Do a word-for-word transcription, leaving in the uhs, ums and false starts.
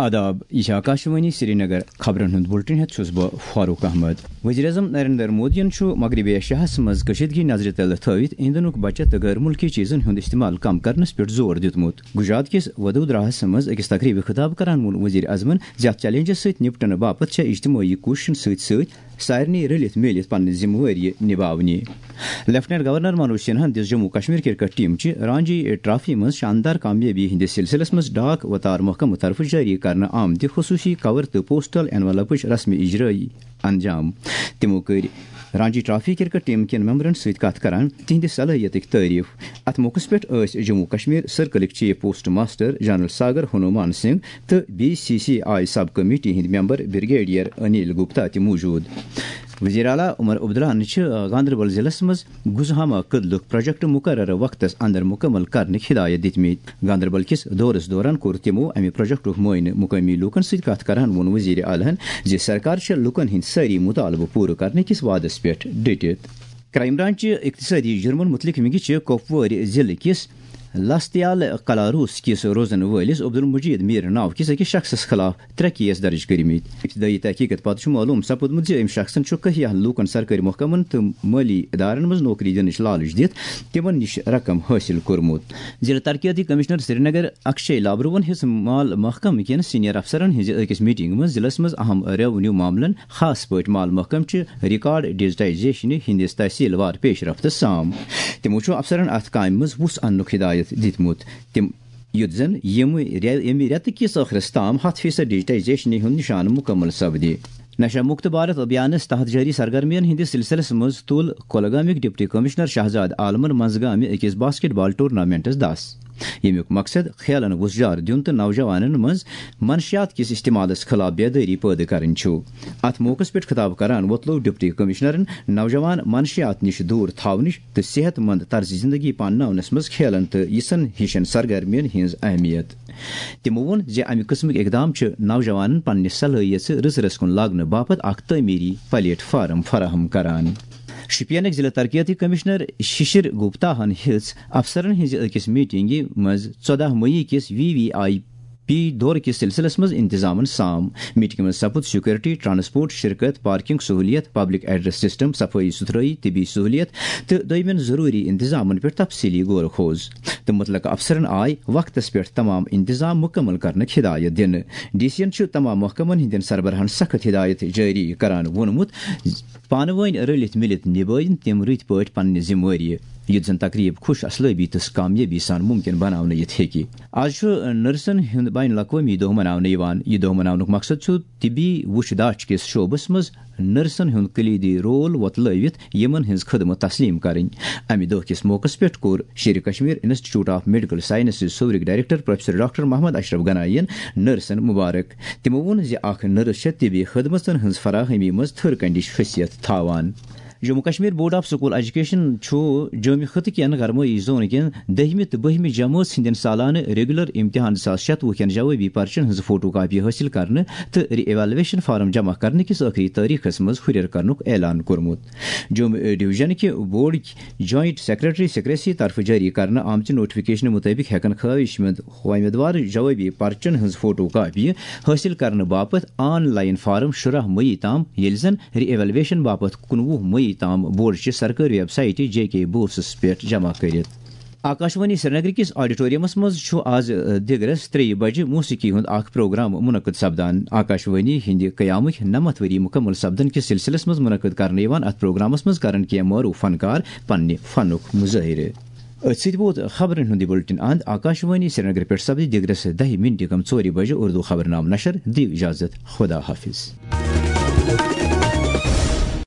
آداب، یہِ چھِ آکاشوانی سرینگر۔ خبرن ہُنٛد بُلٹن ہٮ۪تھ چھُس بہٕ فاروق احمد۔ وزیر اعظم نریندر مودیَن چھُ مغربی ایشیاہَس منٛز کشیدگی نظرِ تل تھٲوِتھ ایندھنُک بچت تہٕ غٲر مُلکی چیزن ہُنٛد استعمال کم کرنس پٮ۪ٹھ زور دیُتمُت۔ گجرات کِس ودودراہَس منٛز أکِس تقریبہِ خطاب کران ووٚن وزیر اعظمن زِ اتھ چیلنجس سۭتۍ نپٹنہٕ باپتھ چھےٚ اجتمٲعی کوٗششن سۭتۍ سۭتۍ سارنٕے رٔلِتھ میٖلِتھ پننہِ ذمہٕ وٲری نباونہِ۔ لیفٹیننٹ گورنر منوج سنہاہن دِژ جموں کشمیر کرکٹ ٹیم چہِ رانجی ٹرافی منٛز شاندار کامیٲبی ہٕنٛدِس سلسلس منٛز ڈاک وتار محکمہٕ طرفہٕ جٲری کرنہٕ آمتہِ خصوصی کور تہٕ پوسٹل انویلپٕچ رسمی اجرٲیی انجام۔ تِمو کٔرۍ رانجی ٹرافی کرکٹ ٹیم کٮ۪ن ممبرن سۭتۍ کتھ کران تِہنٛدِ صلٲحیتٕکۍ تعریف۔ اتھ موقعس پٮ۪ٹھ ٲسۍ جموں کشمیر سرکلٕکۍ chief postmaster general Sagar Hanuman Singh تہٕ B C C I sub committee ہٕنٛدۍ ممبر بریگیڈیئر انیل گپتا تہِ موجود۔ وزیر اعلیٰ عمر عبداللہن چھِ گاندربل ضلعس منٛز گزہامہ کدلُک پروجیکٹ مقررٕ وقتس اندر مکمل کرنٕکۍ ہدایت دِتمٕتۍ۔ گاندربل کِس دورس دوران کوٚر تِمو امہِ پروجیکٹُک معائنہٕ۔ مقٲمی لوٗکن سۭتۍ کتھ کران ووٚن وزیر اعلیٰ ہن زِ سرکار چھےٚ لوٗکن ہٕنٛدۍ سٲری مطالبہٕ پوٗرٕ کرنہٕ کِس وعدس پٮ۪ٹھ ڈٔٹِتھ۔ کرائم برانچ اقتصادی جرمن متعلق ونگہِ چہِ کۄپوٲرۍ ضلعہٕ کِس لستیال کلاروس کِس روزن وٲلِس عبدالمجید میر ناو کِس أکِس شخصس خلاف ترٛےٚ کیس درج کٔرمٕتۍ۔ ابتدٲیی تحقیقس پتہٕ چھُ معلوم سپُدمُت زِ أمۍ شخصن چھُ کہیاہن لوٗکن سرکٲرۍ محکمن تہٕ مٲلی ادارن منٛز نوکری دِنٕچ لالچ دِتھ تِمن نِش رقم حٲصِل کوٚرمُت۔ ضلع ترقیاتی کمشنر سرینگر اکشے لابروہن ہیٚژ مال محکمہٕ کٮ۪ن سینئر افسرن ہٕنٛزِ أکِس میٹنگہِ منٛز ضلعس منٛز اہم ریونیو معاملن، خاص پٲٹھۍ مال محکمہٕ چہِ ریکارڈ ڈیجیٹائزیشنہِ ہٕنٛدِس تحصیل وار پیش رفتس سام۔ تِمو چھُ افسرن اتھ کامہِ منٛز وُژھ اننُک ہدایت دِتمُت۔ تِم یُتھ زن ییٚمہِ رے-، ییٚمہِ رٮ۪تہٕ کِس ٲخرس تام ہتھ فیصد ڈیجیٹائزیشنہِ ہُنٛد نشانہٕ مُکمل سپدِ۔ نشہ مکت بھارت ابھیانس تحت جٲری سرگرمین ہٕنٛدِس سلسلس منٛز تُل کۄلگامٕکۍ ڈپٹی کمشنر شہزاد عالمن منٛزگامہِ أکِس باسکٹ بال ٹورنامنٹس دس، ییٚمیُک مقصد کھیلن وُژھ جار دیُن تہٕ نوجوانن منٛز منشیات کِس استعمالس خلاف بیدٲری پٲدٕ کرٕنۍ چھُ۔ اتھ موقعس پٮ۪ٹھ خطاب کران وۄتلوو ڈپٹی کمشنرن نوجوان منشیات نِش دوٗر تھاونٕچ تہٕ صحت مند طرز زندگی پانناونس منٛز کھیلن تہٕ یِژھن ہِشن سرگرمین ہٕنٛز اہمیت۔ تِمو ووٚن زِ امہِ قٕسمٕکۍ اقدام چھِ نوجوانن پننہِ صلٲحیژٕ رٕژ رٕژ کُن لاگنہٕ باپتھ اکھ تعمیری پلیٹ فارم فراہم کران۔ شوپینٕکۍ ضلع ترقیتی کمشنر ششر گپتا ہن ہیٚژ افسرن ہٕنٛزِ أکِس میٹنگہِ منٛز ژۄدہ مئی کِس وی وی آئی پی دورٕ کِس سلسلس منٛز انتظامن سام۔ میٹنگہِ منٛز سپُد سیکورٹی، ٹرانسپورٹ، شرکت، پارکنگ سہولیت، پبلک ایڈریس سسٹم، صفائی ستھرٲئی، طبی سہولیت تہٕ دویمٮ۪ن ضروری انتظامن پٮ۪ٹھ تفصیلی غور خوض۔ تہٕ متعلقہٕ افسرن آیہِ وقتس پٮ۪ٹھ تمام انتظام مکمل کرنٕکۍ ہدایت دِنہٕ۔ ڈی سی ین چھُ تمام محکمن ہٕنٛدٮ۪ن سربراہن سخت ہدایت جٲری کران ووٚنمُت، پانہٕ وٲنۍ رٔلِتھ مِلِتھ نبٲوِن تِم رٕتۍ پٲٹھۍ پننہِ ذمہٕ وٲری، یُتھ زن تقریب خوش اصلٲبی تہٕ کامیٲبی سان ممکن بناونہٕ یِتھ ہیٚکہِ۔ آز چھُ نرسن ہُنٛد بین الاقوٲمی دۄہ مناونہٕ یِوان۔ یہِ دۄہ مناونُک مقصد چھُ طبی وُچھ داچھ کِس شعبس منٛز نرسن ہُنٛد کلیدی رول وۄتلٲوِتھ یِمن ہٕنٛز خدمت تسلیم کرٕنۍ۔ امہِ دۄہ کِس موقعس پٮ۪ٹھ کوٚر Sher Kashmir institute of medical sciences صورٕکۍ director professor doctor Mohammad Ashraf Ganai ین نرسن مبارک۔ تِمو ووٚن زِ اکھ نرس چھےٚ طبی خدمژن ہٕنٛز فراہمی منٛز تھٔر کنڈِچ حیثیت تھاوان۔ Jammu Kashmir board of school education چھُ جومہِ خطہٕ کٮ۪ن گرمٲیی زون کٮ۪ن دٔہمہِ تہٕ بٔہمہِ جمٲژ ہٕنٛدٮ۪ن سالانہٕ ریگولر امتحان زٕ ساس شتوُہ کٮ۪ن جوابی پرچن ہٕنٛز فوٹو کاپی حٲصِل کرنہٕ تہٕ ری ایویلویشن فارم جمع کرنہٕ کِس ٲخری تٲریخس منٛز ہُرٮ۪ر کرنُک اعلان کوٚرمُت۔ جومہِ ڈویژن کہِ بورڈٕکۍ جوائنٹ سیکرٹری سیکریسی طرفہٕ جٲری کرنہٕ آمژِ نوٹیفکیشنہٕ مُطٲبِق ہٮ۪کن خٲہِش مند امیدوار جوابی پرچن ہٕنٛز فوٹو کاپی حٲصِل کرنہٕ باپتھ آن لائن فارم شُراہ مئی تام، ییٚلہِ زن ری ایویلویشن باپتھ کُنوُہ مئی تام بورڈ چہِ سرکٲرۍ ویب سائٹہِ جے کے بوسس پٮ۪ٹھ جمع کٔرِتھ۔ آکاشوانی سرینگر کِس آڈیٹوریمس منٛز چھُ آز، ٲ، دِگرس ترٛیٚیہِ بجہِ موسیقی ہُنٛد اکھ پروگرام منعقد سپدان۔ آکاشوانی ہٕنٛدِ قیامٕکۍ نَمَتھ ؤری مُکمل سپدن کِس سلسلس منٛز منعقد کرنہٕ یِوان اتھ پروگرامس منٛز کرن کینٛہہ معروف فنکار پننہِ فنُک مظٲہرٕ۔ أتھۍ سۭتۍ ووت خبرن ہُنٛد یہِ بُلٹن اند۔ آکاشوانی سرینگر پٮ۪ٹھ سپدِ دِگرس دَہہِ مِنٹہِ کم ژورِ بجہِ اردو خبرنامہٕ نشر۔ دِیِو اجازت، خدا حافظ۔